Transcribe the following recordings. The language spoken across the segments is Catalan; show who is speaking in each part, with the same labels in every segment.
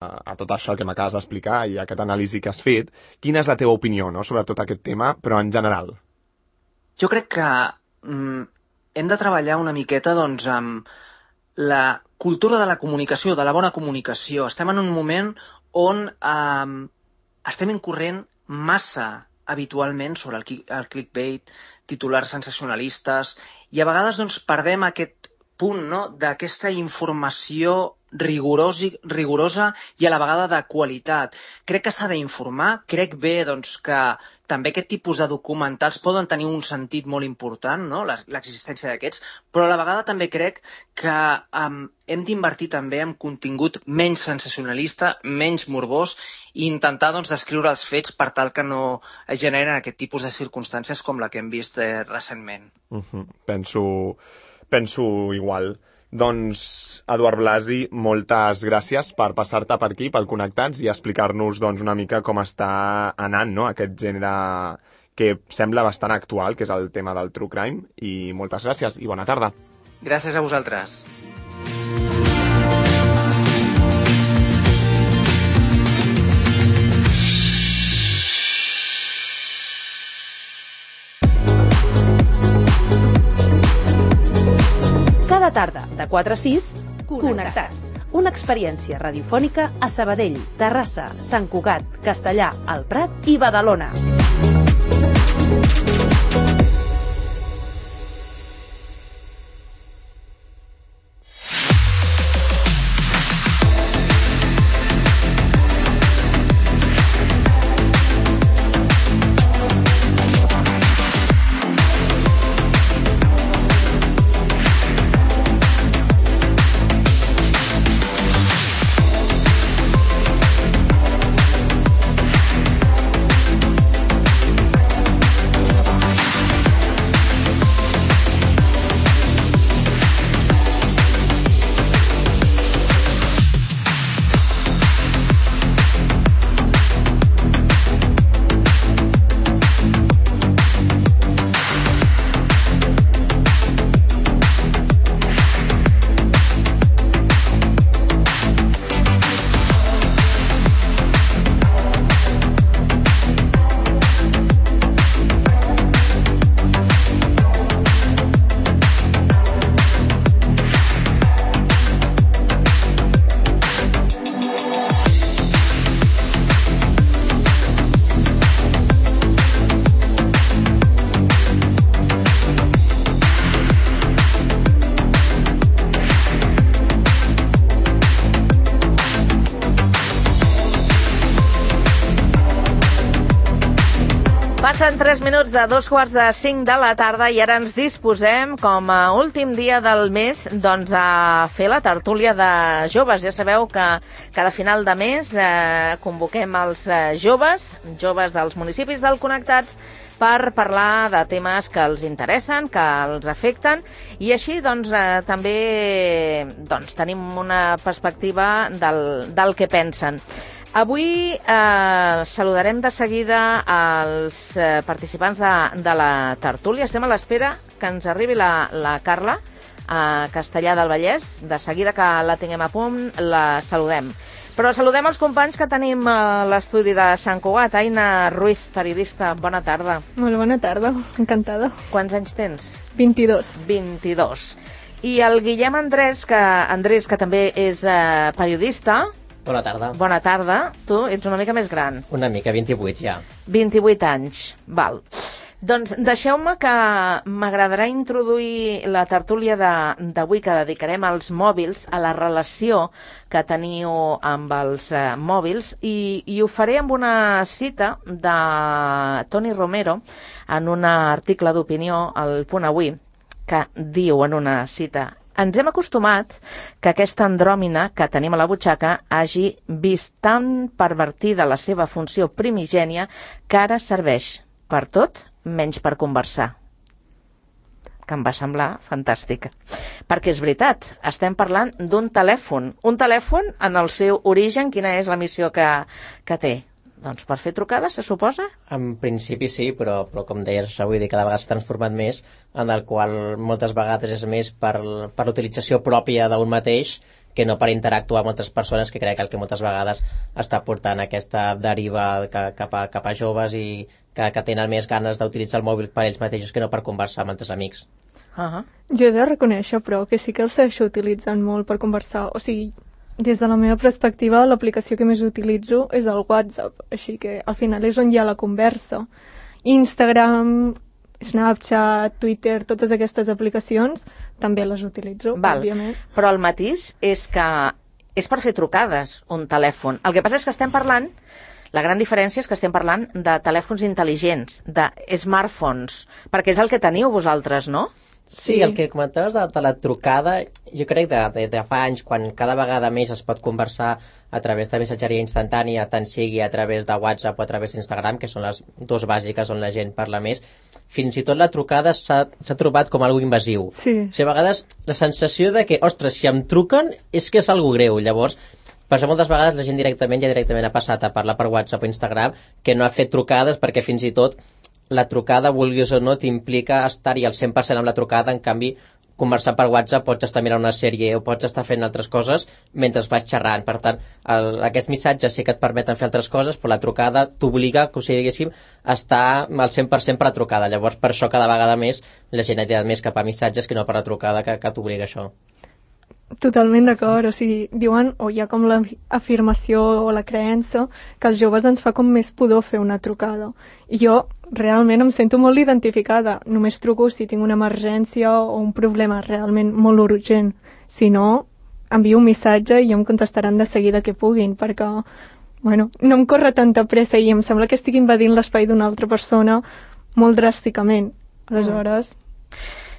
Speaker 1: a tot això que m'acabes d'explicar i a aquest anàlisi que has fet, quina és la teva opinió, no?, sobre tot aquest tema, però en general?
Speaker 2: Jo crec que hem de treballar una miqueta doncs, amb la cultura de la comunicació, de la bona comunicació. Estem en un moment on estem incorrent massa habitualment sobre el clickbait, titulars sensacionalistes, i a vegades doncs, perdem aquest punt, no?, d'aquesta informació rigorosa i a la vegada de qualitat. Crec que s'ha d'informar, crec bé doncs, que també aquest tipus de documentals poden tenir un sentit molt important, no?, l'existència d'aquests, però a la vegada també crec que hem d'invertir també en contingut menys sensacionalista, menys morbós, i intentar doncs, descriure els fets per tal que no es generen aquest tipus de circumstàncies com la que hem vist recentment.
Speaker 1: Penso igual. Doncs, Eduard Blasi, moltes gràcies per passar-te per aquí, pel Connectats, i explicar-nos doncs, una mica com està anant, no?, aquest gènere que sembla bastant actual, que és el tema del true crime, i moltes gràcies i bona tarda.
Speaker 2: Gràcies a vosaltres.
Speaker 3: Cada tarda, de 4 a 6, Connectats. Una experiència radiofònica a Sabadell, Terrassa, Sant Cugat, Castellar, el Prat i Badalona. Passen 3 minuts de 2:45 de la tarda i ara ens disposem, com a últim dia del mes, doncs a fer la tertúlia de joves. Ja sabeu que cada final de mes convoquem els joves dels municipis del Connectats per parlar de temes que els interessen, que els afecten, i així doncs, també tenim una perspectiva del que pensen. Avui saludarem de seguida els participants de la tertúlia. Estem a l'espera que ens arribi la Carla a Castellar del Vallès. De seguida que la tinguem a punt, la saludem. Però saludem els companys que tenim a l'estudi de Sant Cugat. Aina Ruiz, periodista, bona tarda.
Speaker 4: Molt bona tarda, encantada.
Speaker 3: Quants anys tens?
Speaker 4: 22.
Speaker 3: 22. I el Guillem Andrés, que també és periodista.
Speaker 5: Bona tarda.
Speaker 3: Bona tarda. Tu ets una mica més gran.
Speaker 5: Una mica, 28 ja.
Speaker 3: 28 anys, val. Doncs deixeu-me que m'agradarà introduir la tertúlia d'avui que dedicarem als mòbils, a la relació que teniu amb els mòbils, i ho faré amb una cita de Toni Romero en un article d'opinió al Punt Avui, que diu en una cita: ens hem acostumat que aquesta andròmina que tenim a la butxaca hagi vist tan pervertida la seva funció primigènia que ara serveix per tot menys per conversar. Que em va semblar fantàstica. Perquè és veritat, estem parlant d'un telèfon. Un telèfon, en el seu origen, quina és la missió que té? Doncs per fer trucades, se suposa?
Speaker 5: En principi sí, però com deies, avui dia cada vegada s'ha transformat més, en el qual moltes vegades és més per l'utilització pròpia d'un mateix que no per interactuar amb altres persones, que crec que el que moltes vegades està portant aquesta deriva cap a joves i que tenen més ganes d'utilitzar el mòbil per ells mateixos que no per conversar amb altres amics.
Speaker 4: Jo he de reconèixer, però, que sí que el segueixo utilitzant molt per conversar. O sigui, des de la meva perspectiva, l'aplicació que més utilitzo és el WhatsApp, així que al final és on hi ha la conversa. Instagram, Snapchat, Twitter, totes aquestes aplicacions també les utilitzo, òbviament.
Speaker 3: Però el matís és que és per fer trucades un telèfon. El que passa és que estem parlant, la gran diferència és que estem parlant de telèfons intel·ligents, de smartphones, perquè és el que teniu vosaltres, no?
Speaker 5: Sí, el que comentaves de la trucada, jo crec de fa anys, quan cada vegada més es pot conversar a través de missatgeria instantània, tant sigui a través de WhatsApp o a través d'Instagram, que són les dues bàsiques on la gent parla més, fins i tot la trucada s'ha trobat com algo invasiu.
Speaker 4: Sí.
Speaker 5: O sigui, a vegades la sensació de que, ostres, si em truquen és que és algo greu. Llavors, per això moltes vegades la gent directament ha passat a parlar per WhatsApp o Instagram, que no ha fet trucades perquè fins i tot la trucada, vulguis o no, t'implica estar-hi al 100% amb la trucada. En canvi, conversar per WhatsApp pots estar mirant una sèrie o pots estar fent altres coses mentre vas xerrant. Per tant, aquests missatges sí que et permeten fer altres coses, però la trucada t'obliga, com si diguéssim, a estar al 100% per la trucada. Llavors, per això cada vegada més la gent ha tirat més cap a missatges que no per la trucada, que t'obliga això.
Speaker 4: Totalment d'acord, o sigui, diuen, o hi ha com l'afirmació o la creença que als joves ens fa com més pudor fer una trucada. I jo realment em sento molt identificada. Només truco si tinc una emergència o un problema realment molt urgent. Si no, envio un missatge i em contestaran de seguida que puguin, perquè, bueno, no em corre tanta pressa i em sembla que estic invadint l'espai d'una altra persona molt dràsticament. Aleshores...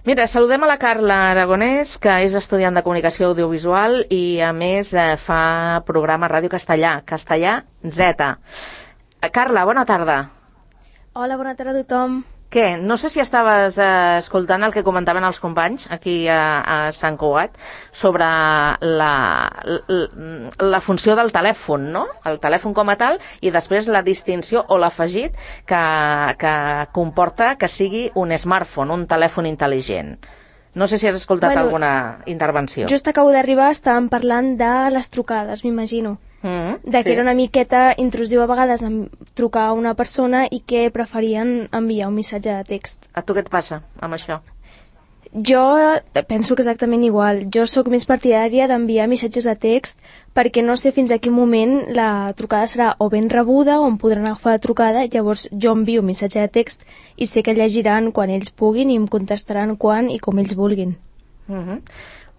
Speaker 3: Mira, saludem a la Carla Aragonès, que és estudiant de comunicació audiovisual i, a més, fa programa Ràdio Castellà, Castellà Z. Carla, bona tarda.
Speaker 6: Hola, bona tarda a tothom.
Speaker 3: Què? No sé si estaves escoltant el que comentaven els companys aquí a Sant Cugat sobre la funció del telèfon, no? El telèfon com a tal, i després la distinció o l'afegit que comporta que sigui un smartphone, un telèfon intel·ligent. No sé si has escoltat alguna intervenció.
Speaker 6: Just acabo d'arribar, estàvem parlant de les trucades, m'imagino. Que era una miqueta intrusiu a vegades trucar a una persona i que preferien enviar un missatge de text.
Speaker 3: A tu què et passa amb això?
Speaker 6: Jo penso que exactament igual. Jo sóc més partidària d'enviar missatges de text perquè no sé fins a quin moment la trucada serà o ben rebuda o em podran agafar la trucada. Llavors jo envio un missatge de text i sé que llegiran quan ells puguin i em contestaran quan i com ells vulguin.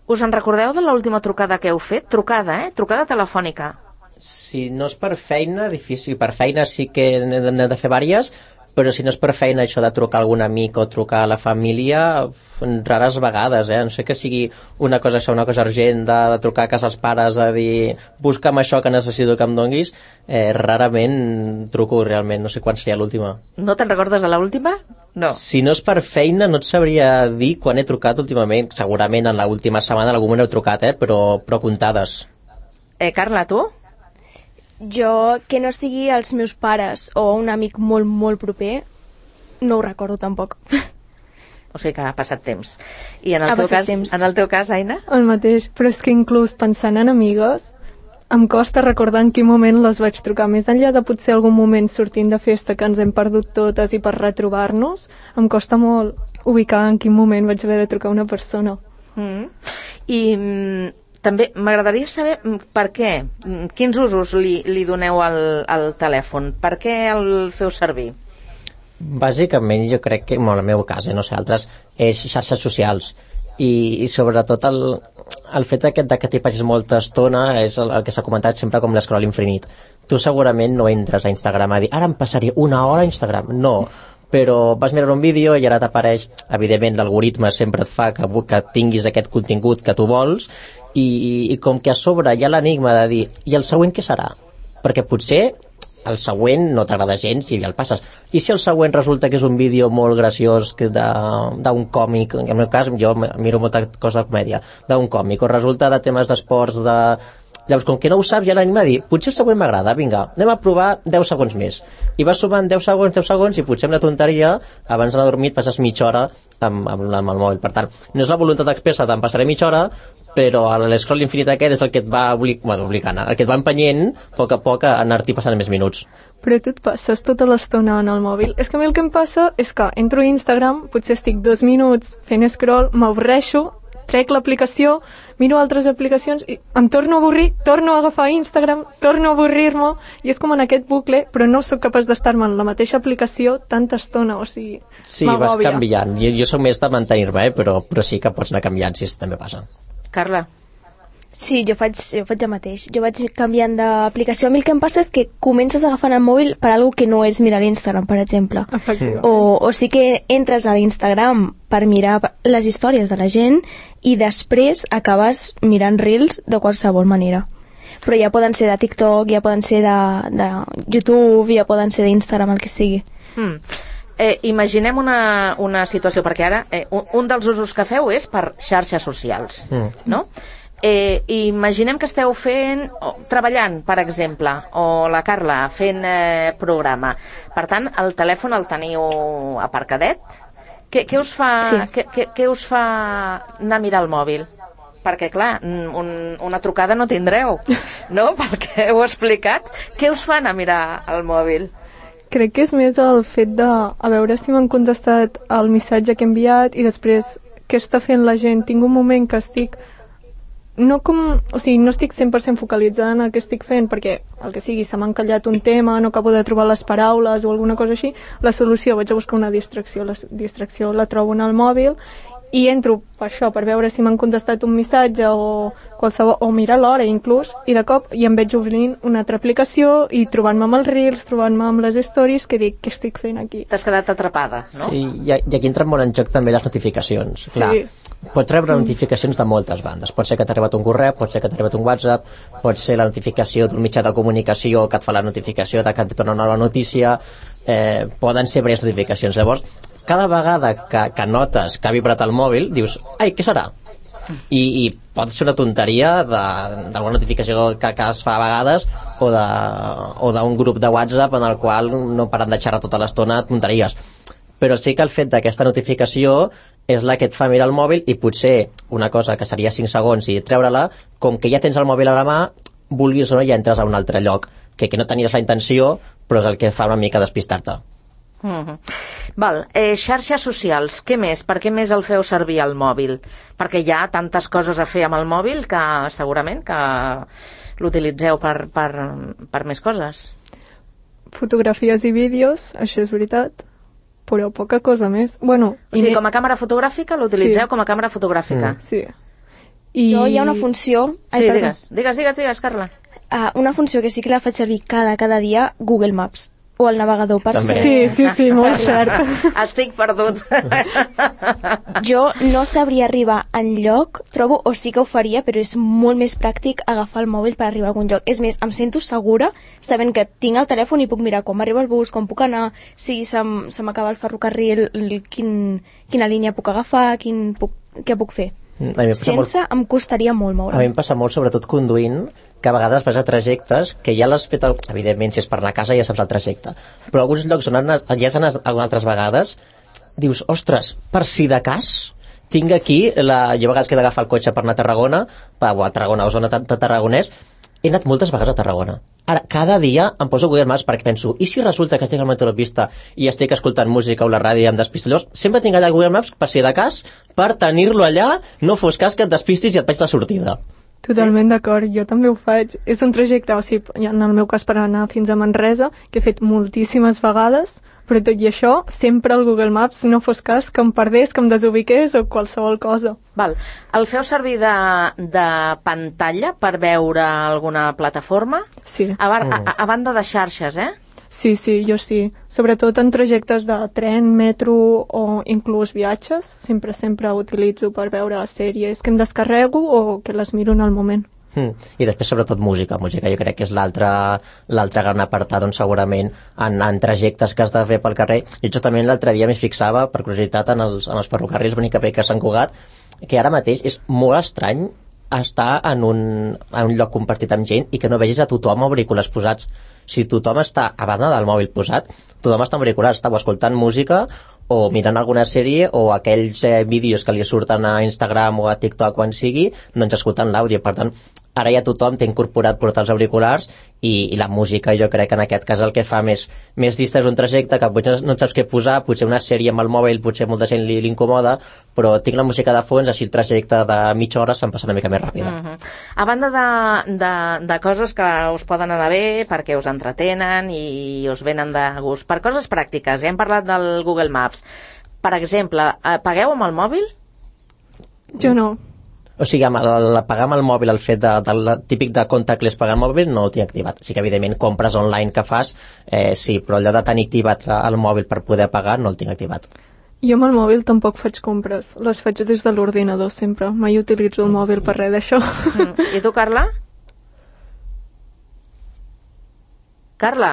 Speaker 3: Us en recordeu de l'última trucada que heu fet? Trucada, Trucada telefònica.
Speaker 5: Si no és per feina, difícil. Per feina sí que n'hem de fer diverses, però si no és per feina, això de trucar a algun amic o trucar a la família, rares vegades, no sé que sigui una cosa urgent, de trucar a casa als pares a dir busca'm això que necessito que em donguis, rarament truco realment, no sé quan seria l'última.
Speaker 3: No te'n recordes de l'última? No.
Speaker 5: Si no és per feina, no et sabria dir quan he trucat últimament. Segurament en l'última setmana en algun moment heu trucat, però comptades.
Speaker 3: Carla, tu?
Speaker 6: Jo, que no sigui els meus pares o un amic molt, molt proper, no ho recordo tampoc.
Speaker 3: O sigui que ha passat temps. I en el teu cas, Aina?
Speaker 4: El mateix, però és que inclús pensant en amigues, em costa recordar en quin moment les vaig trucar. Més enllà de potser algun moment sortint de festa que ens hem perdut totes i per retrobar-nos, em costa molt ubicar en quin moment vaig haver de trucar a una persona.
Speaker 3: I també m'agradaria saber per què, quins usos li doneu al telèfon, per què el feu servir?
Speaker 5: Bàsicament jo crec que, en el meu cas, no sé, altres, és xarxes socials i sobretot el fet aquest que t'hi passis molta estona és el que s'ha comentat sempre com l'escroll infinit. Tu segurament no entres a Instagram a dir ara em passaré una hora a Instagram, no, però vas mirar un vídeo i ara t'apareix, evidentment l'algoritme sempre et fa que tinguis aquest contingut que tu vols i com que a sobre hi ha l'enigma de dir i el següent què serà? Perquè potser el següent no t'agrada gens i ja el passes. I si el següent resulta que és un vídeo molt graciós d'un còmic, en el meu cas jo miro molta cosa de comèdia, d'un còmic, o resulta de temes d'esports, Llavors, com que no ho saps, ja l'anima a dir potser el següent m'agrada, vinga, anem a provar 10 segons més. I vas sumant 10 segons i potser amb la tonteria, abans d'anar a dormir passes mitja hora amb el mòbil. Per tant, no és la voluntat expressa d'en passaré mitja hora, però l'escroll infinit aquest és el que et va obligant, el que et va empenyent a poc a anar-t'hi passant més minuts.
Speaker 4: Però tu et passes tota l'estona en el mòbil. És que a mi el que em passa és que entro a Instagram, potser estic 2 minuts fent scroll, m'avorreixo, trec l'aplicació, miro altres aplicacions i em torno a avorrir, torno a agafar Instagram, torno a avorrir-me, i és com en aquest bucle, però no sóc capaç d'estar-me en la mateixa aplicació tanta estona, o sigui,
Speaker 5: sí,
Speaker 4: m'agòbia.
Speaker 5: vas canviant. Jo soc més de mantenir-me, però sí que pots anar canviant, si també passa.
Speaker 3: Carla?
Speaker 6: Sí, jo faig el mateix. Jo vaig canviant d'aplicació. A mi el que em passa és que comences agafant el mòbil per algo que no és mirar l'Instagram, per exemple. O sí que entres a l'Instagram per mirar les històries de la gent i després acabes mirant reels de qualsevol manera. Però ja poden ser de TikTok, ja poden ser de YouTube, ja poden ser d'Instagram, el que sigui.
Speaker 3: Imaginem una situació, perquè ara un dels usos que feu és per xarxes socials, no? Imaginem que esteu treballant, per exemple, o la Carla fent programa. Per tant, el telèfon el teniu aparcadet. Què us fa anar a mirar el mòbil? Perquè, clar, una trucada no tindreu, no? Pel que heu explicat. Què us fa anar a mirar el mòbil?
Speaker 4: Crec que és més el fet de a veure si m'han contestat el missatge que he enviat i després què està fent la gent. Tinc un moment que estic no estic 100% focalitzada en el que estic fent, perquè el que sigui, se m'ha encallat un tema, no acabo de trobar les paraules o alguna cosa així, la solució, vaig a buscar una distracció, la distracció la trobo en el mòbil i entro per això, per veure si m'han contestat un missatge o qualsevol, o mirar l'hora inclús, i de cop i em veig obrint una altra aplicació i trobant-me amb els reels, trobant-me amb les stories, que dic, què estic fent aquí?
Speaker 3: T'has quedat atrapada, no?
Speaker 5: Sí, i aquí entren molt en joc també les notificacions. Clar, pots rebre notificacions de moltes bandes. Pot ser que t'ha arribat un correu, pot ser que t'ha arribat un WhatsApp, pot ser la notificació d'un mitjà de comunicació que et fa la notificació de que et torna una nova notícia, poden ser diverses notificacions. Llavors, cada vegada que notes que ha vibrat el mòbil, dius, ai, què serà? I pot ser una tonteria d'alguna notificació que es fa a vegades o d'un grup de WhatsApp en el qual no paren de xerrar tota l'estona tonteries. Però sí que el fet d'aquesta notificació és la que et fa mirar el mòbil i potser una cosa que seria 5 segons i treure-la, com que ja tens el mòbil a la mà, vulguis o no, ja entres a un altre lloc, que no tenies la intenció, però és el que fa una mica despistar-te.
Speaker 3: Val, xarxes socials, què més? Per què més el feu servir al mòbil? Perquè hi ha tantes coses a fer amb el mòbil que segurament que l'utilitzeu per més coses.
Speaker 4: Fotografies i vídeos, això és veritat, però poca cosa més. Bueno,
Speaker 3: o sigui, com a càmera fotogràfica l'utilitzeu com a càmera fotogràfica.
Speaker 4: Sí.
Speaker 6: Hi ha una funció...
Speaker 3: Sí, digues, Carla.
Speaker 6: Una funció que sí que la faig servir cada dia, Google Maps. O el navegador, per ser...
Speaker 4: Sí, molt cert.
Speaker 3: Estic perdut.
Speaker 6: Jo no sabria arribar enlloc, trobo, o sí que ho faria, però és molt més pràctic agafar el mòbil per arribar a algun lloc. És més, em sento segura sabent que tinc el telèfon i puc mirar quan m'arriba el bus, com puc anar, si se m'acaba el ferrocarril, quina línia puc agafar, què puc fer. Sense em costaria molt moure.
Speaker 5: A mi em passa molt, sobretot conduint, que a vegades vas a trajectes que ja l'has fet, evidentment, si és per anar a casa ja saps el trajecte, però alguns llocs on ja has anat algunes altres vegades, dius, ostres, per si de cas tinc aquí, jo a vegades que he d'agafar el cotxe per anar a Tarragona, a Tarragona o zona de Tarragonès, he anat moltes vegades a Tarragona. Ara, cada dia em poso Google Maps perquè penso, i si resulta que estic al meteoropista i estic escoltant música o la ràdio i em despisto? Llavors, sempre tinc allà Google Maps per si de cas, per tenir-lo allà, no fos cas que et despistis i et vaig de sortida.
Speaker 4: Totalment d'acord, jo també ho faig. És un trajecte, o sigui, en el meu cas per anar fins a Manresa, que he fet moltíssimes vegades, però tot i això, sempre el Google Maps no fos cas que em perdés, que em desubiqués o qualsevol cosa.
Speaker 3: Val. El feu servir de pantalla per veure alguna plataforma?
Speaker 4: Sí.
Speaker 3: A banda de xarxes,
Speaker 4: Sí, jo sí. Sobretot en trajectes de tren, metro o inclús viatges. Sempre utilitzo per veure sèries que em descarrego o que les miro en el moment.
Speaker 5: I després sobretot música jo crec que és l'altre gran apartat on segurament en trajectes que has de fer pel carrer. I justament l'altre dia m'hi fixava per curiositat en els ferrocarrils bonic a Sant Cugat, que ara mateix és molt estrany estar en un lloc compartit amb gent i que no vegis a tothom amb auriculars posats. Si tothom està a banda del mòbil posat, tothom està amb auriculars, està o escoltant música o mirant alguna sèrie o aquells vídeos que li surten a Instagram o a TikTok quan sigui, doncs escoltant l'àudio. Per tant, ara ja tothom té incorporat portar els auriculars i la música jo crec que en aquest cas el que fa més distès un trajecte que potser no et saps què posar, potser una sèrie amb el mòbil potser molta gent li incomoda, però tinc la música de fons, així el trajecte de mitja hora se'm passa una mica més ràpida.
Speaker 3: A banda de coses que us poden anar bé perquè us entretenen i us venen de gust, per coses pràctiques, ja hem parlat del Google Maps, per exemple, pagueu amb el mòbil?
Speaker 4: Jo no.
Speaker 5: O sigui, pagar amb el mòbil, el fet del típic de contactless pagar al mòbil, no ho tinc activat. Sí que, evidentment, compres online que fas, sí, però allò de tenir activat el mòbil per poder pagar no el tinc activat.
Speaker 4: Jo amb el mòbil tampoc faig compres. Les faig des de l'ordinador, sempre. Mai utilitzo el mòbil per res d'això.
Speaker 3: I tu, Carla? Carla?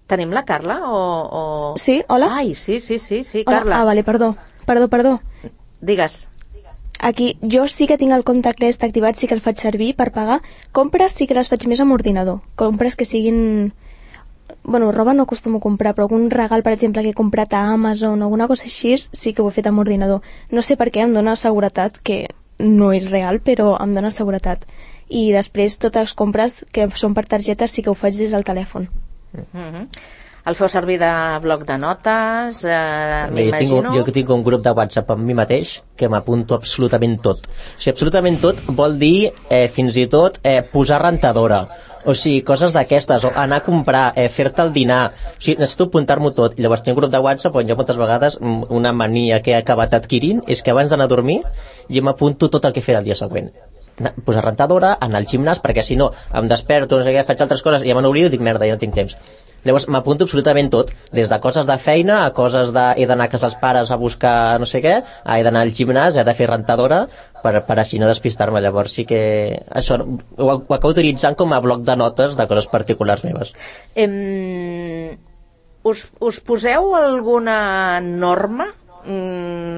Speaker 3: Tenim la Carla o...?
Speaker 6: Sí, hola?
Speaker 3: Ai, sí,
Speaker 6: Hola.
Speaker 3: Carla.
Speaker 6: Ah, vale, perdó.
Speaker 3: Digues.
Speaker 6: Aquí, jo sí que tinc el contactless activat, sí que el faig servir per pagar. Compres sí que les faig més amb ordinador. Compres que siguin... Bueno, roba no acostumo a comprar, però algun regal, per exemple, que he comprat a Amazon o alguna cosa així, sí que ho he fet amb ordinador. No sé per què, em dona seguretat, que no és real, però em dona seguretat. I després, totes les compres que són per targetes sí que ho faig des del telèfon.
Speaker 3: El feu servir de bloc de notes, m'imagino?
Speaker 5: Jo tinc un grup de WhatsApp amb mi mateix que m'apunto absolutament tot. O sigui, absolutament tot vol dir fins i tot posar rentadora. O sigui, coses d'aquestes, o anar a comprar, fer-te el dinar. O sigui, necessito apuntar-m'ho tot. I llavors tinc un grup de WhatsApp on jo moltes vegades una mania que he acabat adquirint és que abans d'anar a dormir jo m'apunto tot el que he fet el dia següent. Posar rentadora, anar al gimnàs, perquè si no em desperto, no sé què, faig altres coses i ja me n'oblido i dic, merda, ja no tinc temps. Llavors m'apunto absolutament tot, des de coses de feina a coses de he d'anar a casa dels pares a buscar no sé què, he d'anar al gimnàs, he de fer rentadora per així no despistar-me. Llavors sí que això ho acabo utilitzant com a bloc de notes de coses particulars meves.
Speaker 3: Us poseu alguna norma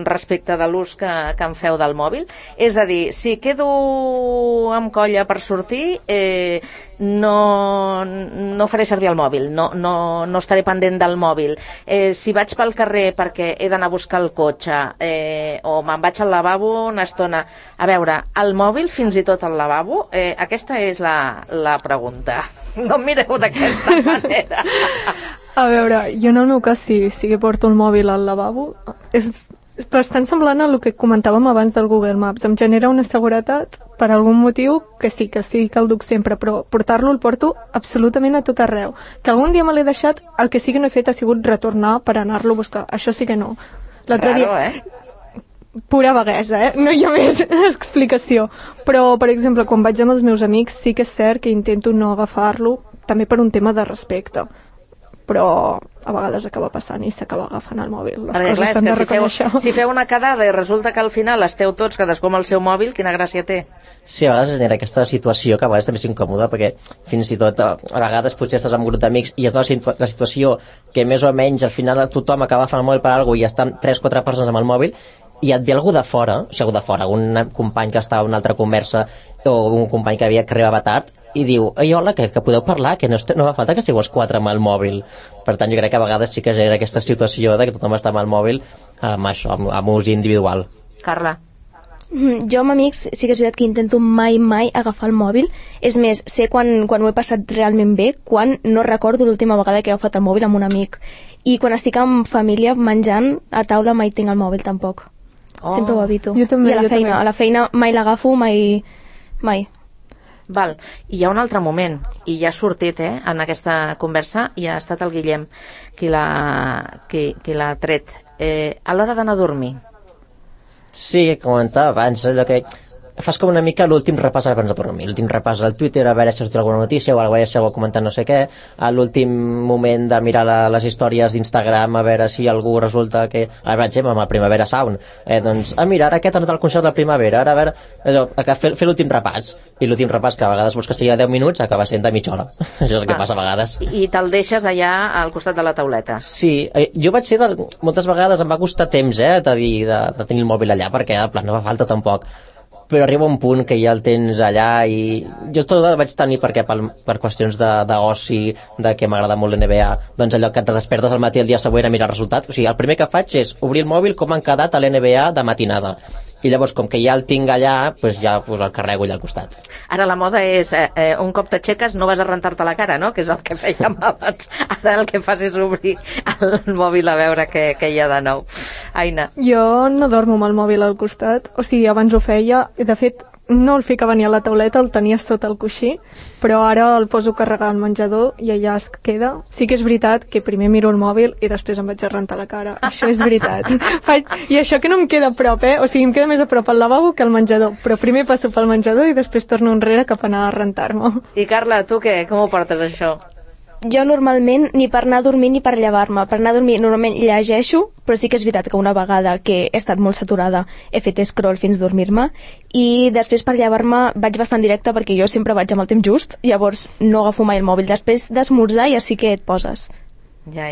Speaker 3: respecte de l'ús que en feu del mòbil? És a dir, si quedo amb colla per sortir, no faré servir el mòbil, no estaré pendent del mòbil. Si vaig pel carrer perquè he d'anar a buscar el cotxe o me'n vaig al lavabo una estona, a veure, el mòbil fins i tot al lavabo? Aquesta és la pregunta. No em mireu d'aquesta manera.
Speaker 4: A veure, jo en el meu cas sí que porto el mòbil al lavabo. És bastant semblant a el que comentàvem abans del Google Maps. Em genera una seguretat per algun motiu que sí que el duc sempre, però portar-lo el porto absolutament a tot arreu. Que algun dia me l'he deixat, el que sí que no he fet ha sigut retornar per anar-lo a buscar. Això sí que no. L'altre dia... Pura vaguesa, no hi ha més explicació. Però, per exemple, quan vaig amb els meus amics sí que és cert que intento no agafar-lo, també per un tema de respecte. Però a vegades acaba passant i s'acaba agafant el mòbil. Les coses s'han de reconèixer.
Speaker 3: Si feu una quedada i resulta que al final esteu tots cadascú amb el seu mòbil, quina gràcia té?
Speaker 5: Sí, a vegades es genera aquesta situació que a vegades també és incòmoda, perquè fins i tot a vegades potser estàs amb un grup d'amics i es dona la situació que més o menys al final tothom acaba agafant el mòbil per alguna cosa i estan 3-4 persones amb el mòbil i et ve algú de fora, un company que estava en una altra conversa o un company que arribava tard i diu, ei, hola, que podeu parlar, que no fa falta que estigueu els 4 amb el mòbil. Per tant, jo crec que a vegades sí que genera aquesta situació de que tothom està amb el mòbil amb ús individual.
Speaker 3: Carla?
Speaker 6: Jo amb amics sí que és veritat que intento mai agafar el mòbil. És més, sé quan ho he passat realment bé, quan no recordo l'última vegada que he agafat el mòbil amb un amic. I quan estic amb família menjant a taula mai tinc el mòbil tampoc. Sempre ho evito.
Speaker 4: Jo també,
Speaker 6: I a la feina mai l'agafo, mai.
Speaker 3: Val. I hi ha un altre moment, i ja ha sortit en aquesta conversa, i ha estat el Guillem qui l'ha tret. A l'hora d'anar a dormir.
Speaker 5: Sí, comentava abans, allò que fas com una mica l'últim repàs abans de dormir, l'últim repàs al Twitter a veure si ha sortit alguna notícia o a veure si algú ha comentat no sé què, a l'últim moment de mirar les històries d'Instagram a veure si algú resulta que, ara per exemple amb el Primavera Sound, doncs mira, ara aquest ha anat al concert de Primavera, ara a veure allò, fer l'últim repàs, i l'últim repàs que a vegades vols que sigui de 10 minuts acaba sent de mitja hora. Això és el que passa a vegades.
Speaker 3: I te'l deixes allà al costat de la tauleta.
Speaker 5: Sí, jo vaig ser moltes vegades em va costar temps de tenir el mòbil allà, perquè de plan no fa falta tampoc. però arriba un punt que ja el tens allà i jo tot el vaig tenir per qüestions d'oci, de que m'agrada molt l'NBA, doncs allò que et despertes al matí el dia següent a mirar els resultats, o sigui, el primer que faig és obrir el mòbil com han quedat a l'NBA de matinada, i llavors com que ja el tinc allà, doncs ja el carrego allà al costat.
Speaker 3: Ara la moda és un cop t'aixeques no vas a rentar-te la cara, no? Que és el que fèiem abans. Ara el que fas és obrir el mòbil a veure què hi ha de nou. Aina.
Speaker 4: Jo no dormo amb el mòbil al costat, o sigui, abans ho feia, de fet no el ficava ni a la tauleta, el tenia sota el coixí, però ara el poso a carregar al menjador i allà es queda. Sí que és veritat que primer miro el mòbil i després em vaig a rentar la cara. Això és veritat. I això que no em queda a prop, o sigui, em queda més a prop al lavabo que al menjador, però primer passo pel menjador i després torno enrere cap a anar a rentar-me.
Speaker 3: I Carla, tu què? Com ho portes, això?
Speaker 6: Jo normalment, ni per anar a dormir ni per llevar-me. Per anar a dormir normalment llegeixo, però sí que és veritat que una vegada que he estat molt saturada he fet scroll fins a dormir-me, i després per llevar-me vaig bastant directe perquè jo sempre vaig amb el temps just, llavors no agafo mai el mòbil. Després d'esmorzar ja sí que et poses.
Speaker 3: Ja.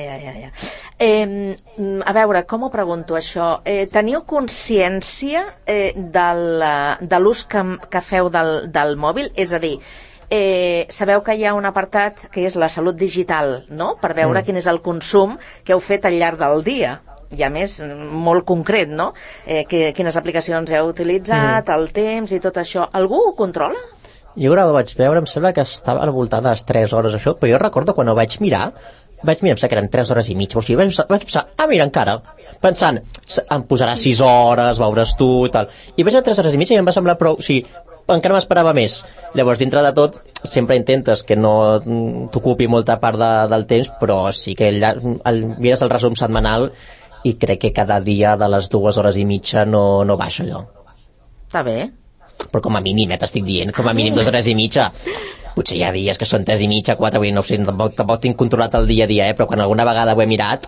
Speaker 3: A veure, com ho pregunto això? Teniu consciència de l'ús que feu del mòbil? És a dir, sabeu que hi ha un apartat que és la salut digital, no? Per veure quin és el consum que heu fet al llarg del dia. I a més, molt concret, no? Quines aplicacions heu utilitzat, el temps i tot això. Algú ho controla?
Speaker 5: Jo ara ho vaig veure, em sembla que estava al voltant de les 3 hores això, però jo recordo quan ho vaig mirar, em sembla que eren 3 hores i mitja, o sigui, vaig pensar, mira, encara, pensant, em posarà 6 hores, veuràs tu, tal, i vaig a 3 hores i mitja i em va semblar prou, o sigui, encara m'esperava més. Llavors, dintre de tot, sempre intentes que no t'ocupi molta part del temps, però sí que mires el resum setmanal i crec que cada dia de les 2 hores i mitja no baixa allò.
Speaker 3: Està bé.
Speaker 5: Però com a mínim, t'estic dient, com a mínim 2 hores i mitja. Potser hi ha dies que són 3 i mitja, 4, no sé, tampoc tinc controlat el dia a dia, però quan alguna vegada ho he mirat,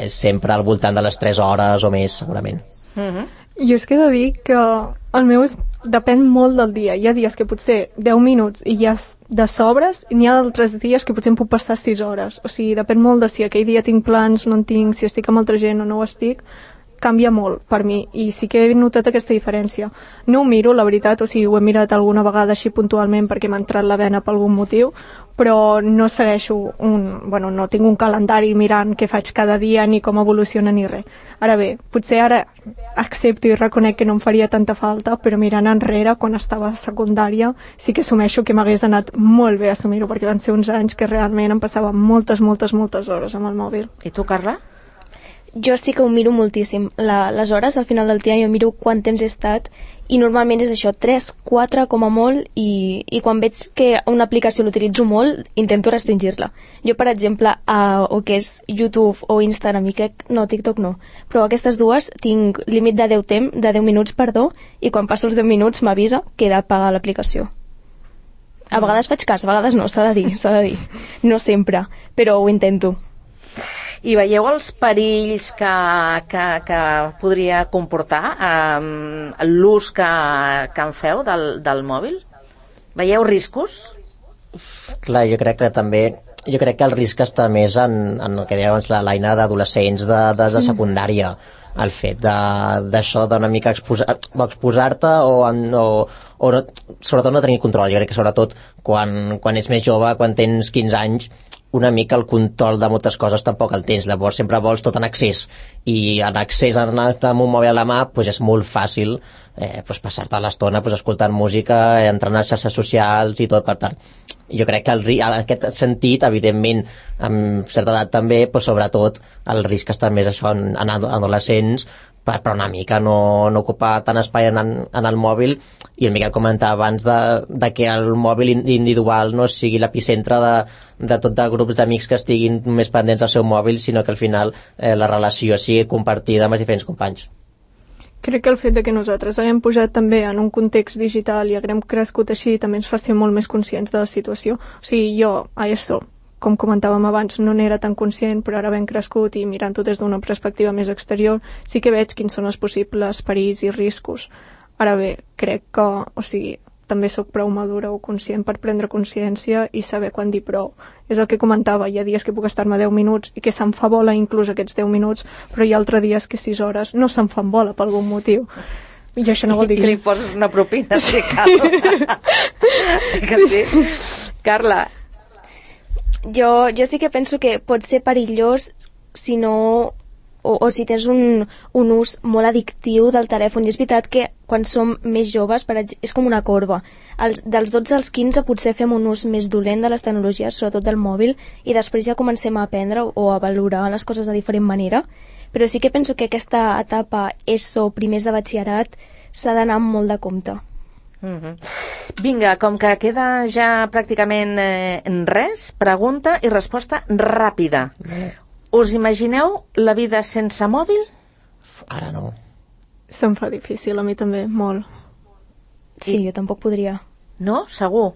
Speaker 5: sempre al voltant de les 3 hores o més, segurament.
Speaker 4: Jo és que he de dir que el meu depèn molt del dia. Hi ha dies que potser 10 minuts i ja de sobres, i n'hi ha d'altres dies que potser em puc passar 6 hores. O sigui, depèn molt de si aquell dia tinc plans, no en tinc, si estic amb altra gent o no ho estic. Canvia molt per mi, i sí que he notat aquesta diferència. No ho miro, la veritat, o sigui, ho he mirat alguna vegada així puntualment perquè m'ha entrat la vena per algun motiu, però no segueixo no tinc un calendari mirant què faig cada dia ni com evoluciona ni res. Ara bé, potser ara accepto i reconec que no em faria tanta falta, però mirant enrere, quan estava a secundària, sí que assumeixo que m'hagués anat molt bé assumir-ho, perquè van ser uns anys que realment em passava moltes hores amb el mòbil.
Speaker 3: I tu, Carla?
Speaker 6: Jo sí que ho miro moltíssim. Les hores, al final del dia, jo miro quant temps he estat, i normalment és això, 3, 4 com a molt, i quan veig que una aplicació l'utilitzo molt, intento restringir-la. Jo, per exemple, o que és YouTube o Instagram, i crec, no, TikTok no, però aquestes dues tinc límit de 10 minuts, i quan passo els 10 minuts m'avisa que he d'apagar l'aplicació. A vegades faig cas, a vegades no, s'ha de dir. No sempre, però ho intento.
Speaker 3: I veieu els perills que podria comportar l'ús que en feu del mòbil? Veieu riscos?
Speaker 5: Clar, jo crec que el risc està més en el que deia abans l'Aina, d'adolescents de secundària, el fet d'això d'una mica exposar-te o sobretot no tenir control. Jo crec que sobretot quan ets més jove, quan tens 15 anys, una mica el control de moltes coses tampoc el tens, llavors sempre vols tot en accés, i en accés amb un mòbil a la mà és molt fàcil passar-te l'estona escoltant música, entrant a les xarxes socials i tot. Per tant, jo crec que en aquest sentit, evidentment amb certa edat també, sobretot el risc està més això en adolescents, per una mica no ocupar tant espai en el mòbil, i el Miquel comentava abans de que el mòbil individual no sigui l'epicentre de tot de grups d'amics que estiguin més pendents del seu mòbil, sinó que al final la relació sigui compartida amb els diferents companys.
Speaker 4: Crec que el fet de que nosaltres haguem pujat també en un context digital i haguem crescut així també ens fa ser molt més conscients de la situació. O sigui, jo a ESO, com comentàvem abans, no n'era tan conscient, però ara ben crescut i mirant-ho des d'una perspectiva més exterior, sí que veig quins són els possibles perills i riscos. Ara bé, crec que, també sóc prou madura o conscient per prendre consciència i saber quan dir prou. És el que comentava, hi ha dies que puc estar-me 10 minuts i que se'm fa bola inclús aquests 10 minuts, però hi ha altres dies que 6 hores no se'm fan bola per algun motiu. I això no vol dir
Speaker 3: I li poses una propina, sí, Carla. Que sí. Carla.
Speaker 6: Jo sí que penso que pot ser perillós si no... o si tens un ús molt addictiu del telèfon. I és veritat que quan som més joves, és com una corba. Dels 12 als 15 potser fem un ús més dolent de les tecnologies, sobretot del mòbil, i després ja comencem a aprendre o a valorar les coses de diferent manera. Però sí que penso que aquesta etapa ESO, primers de batxillerat, s'ha d'anar amb molt de compte.
Speaker 3: Vinga, com que queda ja pràcticament res, pregunta i resposta ràpida. Us imagineu la vida sense mòbil?
Speaker 5: Ara no.
Speaker 4: Se'm fa difícil, a mi també, molt.
Speaker 6: Sí, jo tampoc podria.
Speaker 3: No? Segur?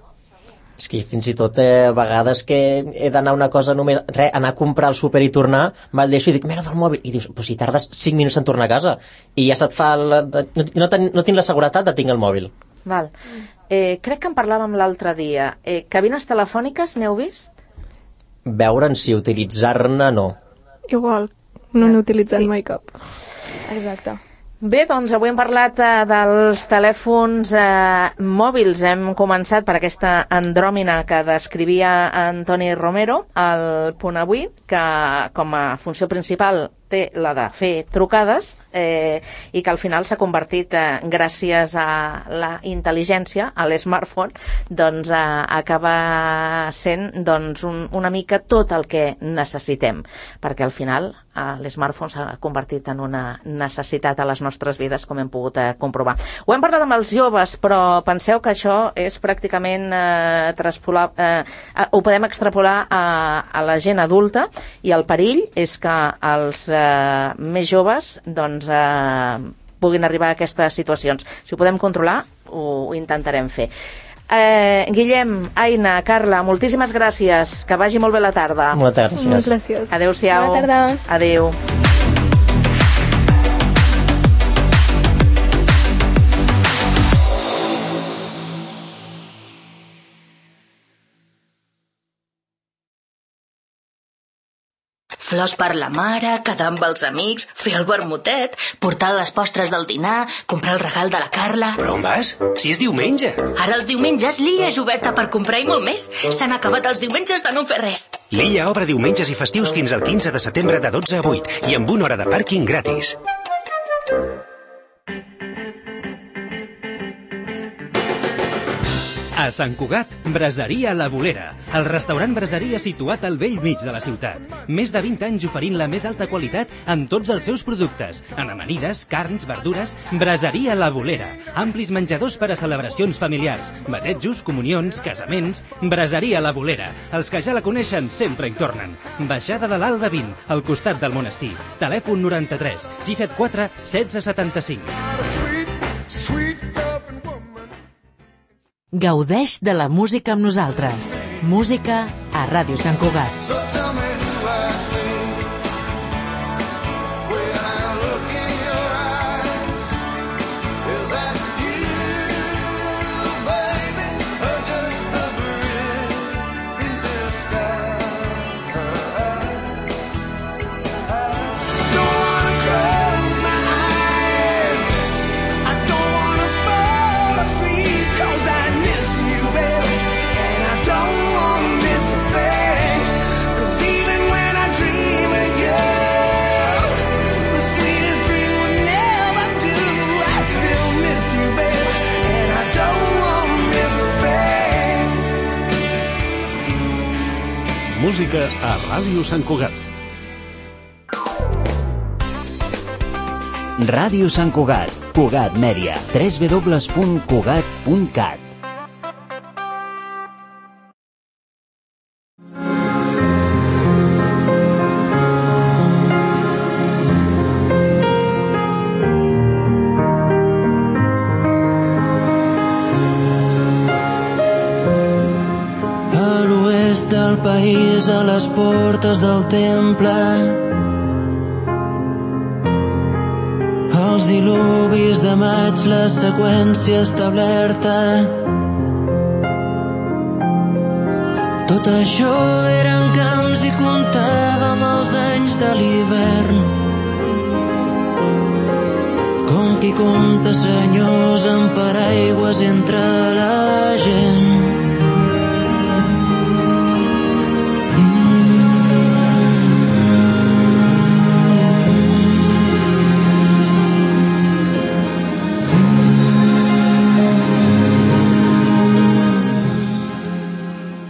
Speaker 5: És que fins i tot a vegades que he d'anar una cosa només, anar a comprar al súper i tornar, me'l deixo i dic, merda del mòbil, i dius, però si tardes 5 minuts en tornar a casa, i ja se't fa no tinc la seguretat de tinc el mòbil.
Speaker 3: Val. Crec que en parlàvem l'altre dia. Cabines telefòniques, n'heu vist?
Speaker 5: Veure'n si utilitzar-ne no.
Speaker 4: Igual, no n'he utilitzat mai cap.
Speaker 6: Exacte.
Speaker 3: Bé, doncs avui hem parlat dels telèfons mòbils. Hem començat per aquesta andròmina que descrivia Antoni Romero al Punt Avui, que com a funció principal té la de fer trucades i que al final s'ha convertit, gràcies a la intel·ligència, a l'smartphone, doncs acaba sent doncs, una mica tot el que necessitem, perquè al final l'smartphone s'ha convertit en una necessitat a les nostres vides, com hem pogut comprovar. Ho hem parlat amb els joves, però penseu que això és pràcticament ho podem extrapolar a la gent adulta, i el perill és que els més joves doncs puguin arribar a aquestes situacions. Si ho podem controlar, ho intentarem fer. Guillem, Aina, Carla, moltíssimes gràcies, que vagi molt bé la tarda.
Speaker 5: Moltes gràcies.
Speaker 4: Moltes gràcies.
Speaker 3: Adéu-siau.
Speaker 6: Bona tarda.
Speaker 3: Adéu.
Speaker 7: Flors per la mare, quedar amb els amics, fer el vermutet, portar les postres del dinar, comprar el regal de la Carla...
Speaker 8: Però on vas? Si és diumenge.
Speaker 7: Ara els diumenges l'illa és oberta per comprar i molt més. S'han acabat els diumenges de no fer res.
Speaker 8: L'illa obre diumenges i festius fins al 15 de setembre de 12 a 8 i amb 1 hora de pàrquing gratis.
Speaker 9: A Sant Cugat, Braseria La Bolera, el restaurant braseria situat al bell mig de la ciutat. Més de 20 anys oferint la més alta qualitat en tots els seus productes. En amanides, carns, verdures, Braseria La Bolera. Amplis menjadors per a celebracions familiars, batejos, comunions, casaments. Braseria La Bolera. Els que ja la coneixen sempre hi tornen. Baixada de l'Alba 20, al costat del monestir. Telèfon 93 674 1675.
Speaker 10: Gaudeix de la música amb nosaltres. Música a Ràdio Sant Cugat.
Speaker 11: Música a Ràdio Sant Cugat.
Speaker 12: Ràdio Sant Cugat, Cugat Mèdia, www.cugat.cat.
Speaker 13: Del país a les portes del temple, els dilubis de maig, la seqüència establerta. Tot això eren camps i comptàvem els anys de l'hivern, com qui compta senyors amb paraigües entre la gent.